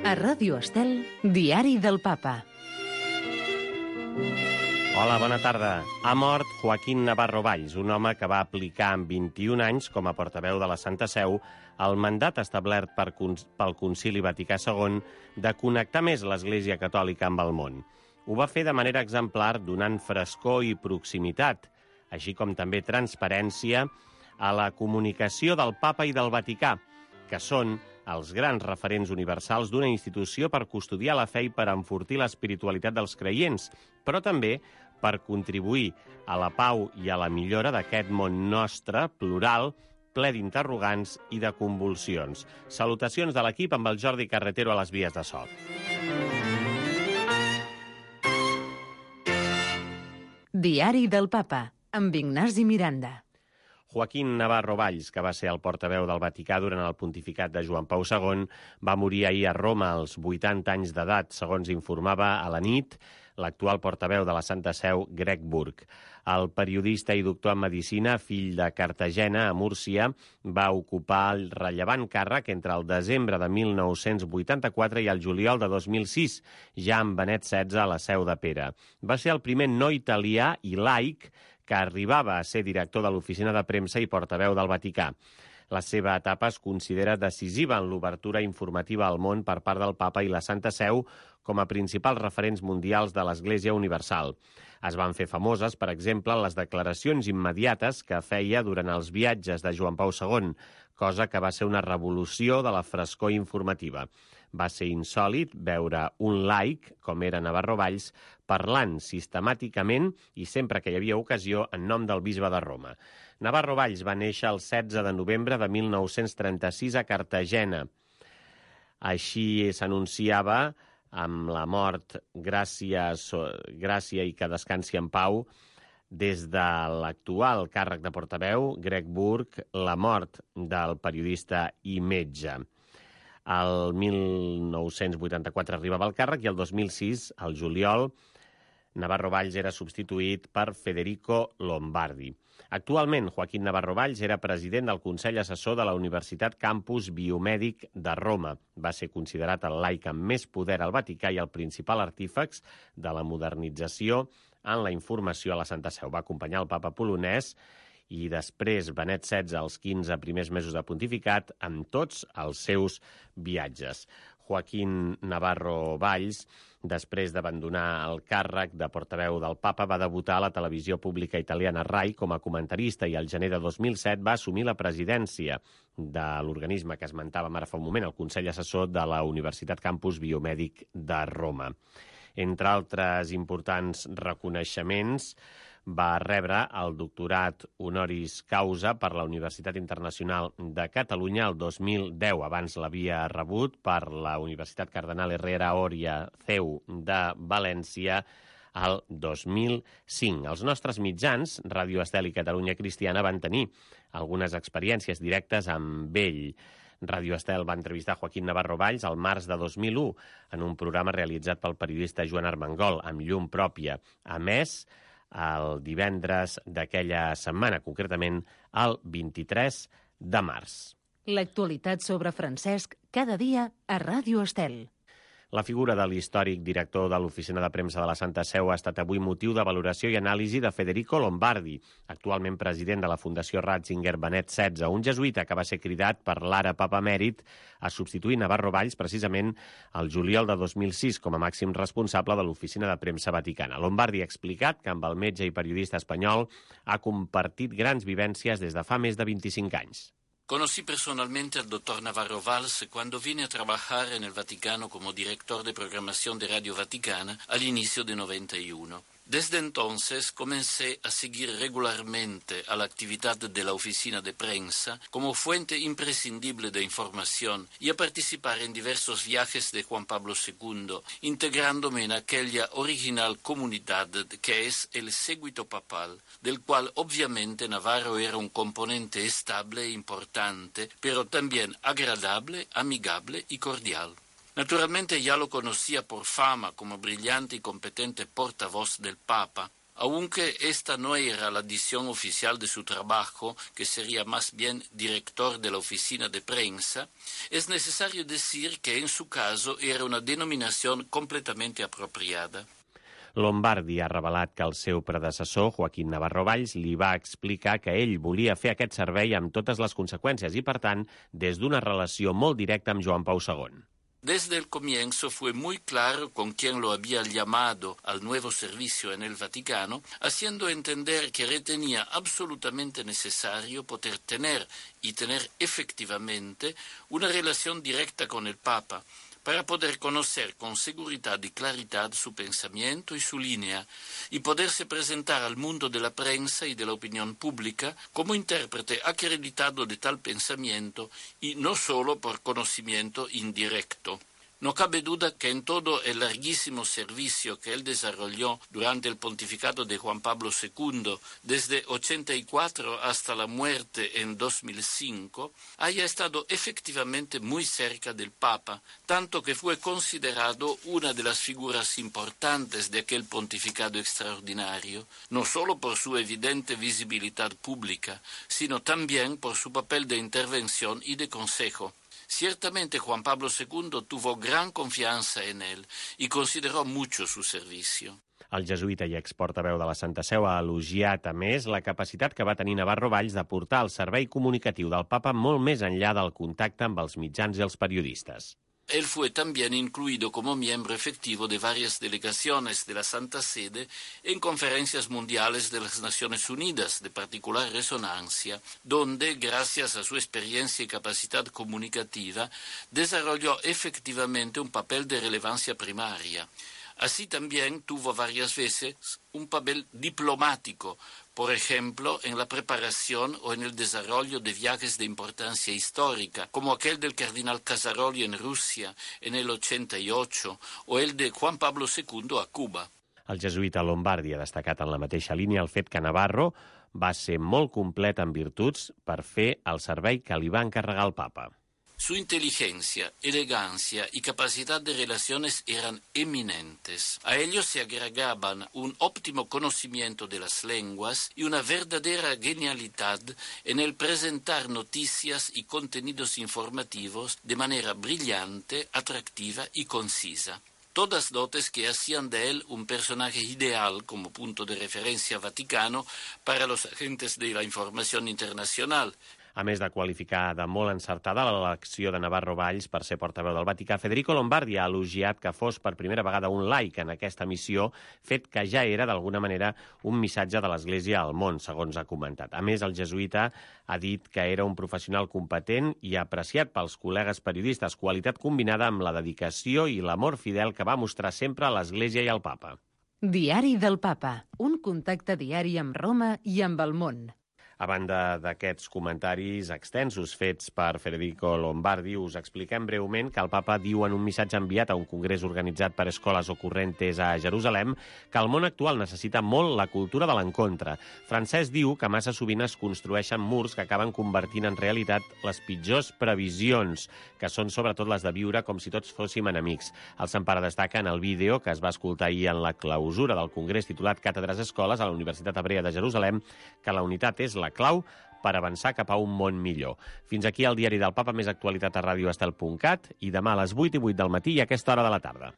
A Ràdio Estel, Diari del Papa. Hola, bona tarda. Ha mort Joaquín Navarro Valls, un home que va aplicar amb 21 anys com a portaveu de la Santa Seu el mandat establert pel Concili Vaticà II de connectar més l'Església Catòlica amb el món. Ho va fer de manera exemplar, donant frescor i proximitat, així com també transparència a la comunicació del Papa i del Vaticà, que són els grans referents universals d'una institució per custodiar la fe i per enfortir l'espiritualitat dels creients, però també per contribuir a la pau i a la millora d'aquest món nostre, plural, ple d'interrogants i de convulsions. Salutacions de l'equip amb el Jordi Carretero a les vies de so. Diari del Papa, amb Ignasi Miranda. Joaquín Navarro Valls, que va ser el portaveu del Vaticà durant el pontificat de Joan Pau II, va morir ahir a Roma als 80 anys d'edat, segons informava a la nit l'actual portaveu de la Santa Seu, Greg Burke. El periodista i doctor en medicina, fill de Cartagena, a Múrcia, va ocupar el rellevant càrrec entre el desembre de 1984 i el juliol de 2006, ja amb Benet XVI a la Seu de Pere. Va ser el primer no italià i laic que arribava a ser director de l'oficina de premsa i portaveu del Vaticà. La seva etapa es considera decisiva en l'obertura informativa al món per part del Papa i la Santa Seu com a principals referents mundials de l'Església Universal. Es van fer famoses, per exemple, les declaracions immediates que feia durant els viatges de Joan Pau II, cosa que va ser una revolució de la frescor informativa. Va ser insòlit veure un laic, com era Navarro Valls, parlant sistemàticament i sempre que hi havia ocasió en nom del bisbe de Roma. Navarro Valls va néixer el 16 de novembre de 1936 a Cartagena. Així s'anunciava amb la mort, gràcia i que descansi en pau, des de l'actual càrrec de portaveu, Greg Burke, la mort del periodista i metge. El 1984 arribava al càrrec i el 2006, al juliol, Navarro Valls era substituït per Federico Lombardi. Actualment, Joaquín Navarro Valls era president del Consell Assessor de la Universitat Campus Biomèdic de Roma. Va ser considerat el laic amb més poder al Vaticà i el principal artífex de la modernització en la informació a la Santa Seu. Va acompanyar el papa polonès i després Benet XVI els 15 primers mesos de pontificat amb tots els seus viatges. Joaquín Navarro Valls, després d'abandonar el càrrec de portaveu del Papa, va debutar a la televisió pública italiana RAI com a comentarista i al gener de 2007 va assumir la presidència de l'organisme que esmentàvem ara fa un moment, el Consell Assessor de la Universitat Campus Biomèdic de Roma. Entre altres importants reconeixements, va rebre el doctorat honoris causa per la Universitat Internacional de Catalunya el 2010. Abans l'havia rebut per la Universitat Cardenal Herrera Oria CEU de València el 2005. Els nostres mitjans, Ràdio Estel i Catalunya Cristiana, van tenir algunes experiències directes amb ell. Ràdio Estel va entrevistar Joaquín Navarro Valls al març de 2001 en un programa realitzat pel periodista Joan Armengol, amb llum pròpia. A més, el divendres d'aquella setmana, concretament el 23 de març. L'actualitat sobre Francesc, cada dia a Ràdio Estel. La figura de l'històric director de l'Oficina de Premsa de la Santa Seu ha estat avui motiu de valoració i anàlisi de Federico Lombardi, actualment president de la Fundació Ratzinger Benet XVI, un jesuïta que va ser cridat per l'ara papa emèrit a substituir Navarro Valls precisament el juliol de 2006 com a màxim responsable de l'Oficina de Premsa Vaticana. Lombardi ha explicat que amb el metge i periodista espanyol ha compartit grans vivències des de fa més de 25 anys. Conocí personalmente al doctor Navarro Valls cuando vine a trabajar en el Vaticano como director de programación de Radio Vaticana al inicio de 91. Desde entonces comencé a seguir regularmente a la actividad de la oficina de prensa como fuente imprescindible de información y a participar en diversos viajes de Juan Pablo II, integrándome en aquella original comunidad que es el séguito papal, del cual obviamente Navarro era un componente estable e importante, pero también agradable, amigable y cordial. Naturalmente ya lo conocía por fama como brillante y competente portavoz del Papa, Aunque esta no era la dicción oficial de su trabajo, que sería más bien director de la oficina de prensa, es necesario decir que en su caso era una denominación completamente apropiada. Lombardi ha revelat que el seu predecessor, Joaquín Navarro Valls, li va explicar que ell volia fer aquest servei amb totes les conseqüències i, per tant, des d'una relació molt directa amb Joan Pau II. Desde el comienzo fue muy claro con quién lo había llamado al nuevo servicio en el Vaticano, haciendo entender que retenía absolutamente necesario poder tener y tener efectivamente una relación directa con el Papa, para poder conocer con seguridad y claridad su pensamiento y su línea, y poderse presentar al mundo de la prensa y de la opinión pública como intérprete acreditado de tal pensamiento y no solo por conocimiento indirecto. No cabe duda que en todo el larguísimo servicio que él desarrolló durante el pontificado de Juan Pablo II, desde 84 hasta la muerte en 2005, haya estado efectivamente muy cerca del Papa, tanto que fue considerado una de las figuras importantes de aquel pontificado extraordinario, no solo por su evidente visibilidad pública, sino también por su papel de intervención y de consejo. Ciertamente Juan Pablo II tuvo gran confiança en él y consideró mucho su servicio. El jesuïta i exportaveu de la Santa Seu ha elogiat, a més, la capacitat que va tenir Navarro Valls de portar el servei comunicatiu del Papa molt més enllà del contacte amb els mitjans i els periodistes. Él fue también incluido como miembro efectivo de varias delegaciones de la Santa Sede en conferencias mundiales de las Naciones Unidas de particular resonancia, donde, gracias a su experiencia y capacidad comunicativa, desarrolló efectivamente un papel de relevancia primaria. Así también tuvo varias veces un papel diplomático, por ejemplo, en la preparación o en el desarrollo de viajes de importancia histórica, como aquel del cardenal Casaroli en Rusia en el 88 o el de Juan Pablo II a Cuba. El jesuïta Lombardi ha destacat en la mateixa línia el fet que Navarro va ser molt complet en virtuts per fer el servei que li va encarregar el Papa. Su inteligencia, elegancia y capacidad de relaciones eran eminentes. A ellos se agregaban un óptimo conocimiento de las lenguas y una verdadera genialidad en el presentar noticias y contenidos informativos de manera brillante, atractiva y concisa. Todas dotes que hacían de él un personaje ideal como punto de referencia vaticano para los agentes de la información internacional. A més de qualificar de molt encertada l'elecció de Navarro Valls per ser portaveu del Vaticà, Federico Lombardi ha elogiat que fos per primera vegada un laic en aquesta missió, fet que ja era, d'alguna manera, un missatge de l'Església al món, segons ha comentat. A més, el jesuïta ha dit que era un professional competent i apreciat pels col·legues periodistes, qualitat combinada amb la dedicació i l'amor fidel que va mostrar sempre a l'Església i al Papa. Diari del Papa, un contacte diari amb Roma i amb el món. A banda d'aquests comentaris extensos fets per Federico Lombardi, us expliquem breument que el Papa diu en un missatge enviat a un congrés organitzat per Escoles Ocorrentes a Jerusalem que el món actual necessita molt la cultura de l'encontre. Francesc diu que massa sovint es construeixen murs que acaben convertint en realitat les pitjors previsions, que són sobretot les de viure com si tots fóssim enemics. El Sant Pare destaca en el vídeo que es va escoltar ahir en la clausura del congrés titulat Càtedres Escoles a la Universitat Hebrea de Jerusalem que la unitat és la clau per avançar cap a un món millor. Fins aquí el Diari del Papa, més actualitat a radioestel.cat i demà a les 8:08 del matí i a aquesta hora de la tarda.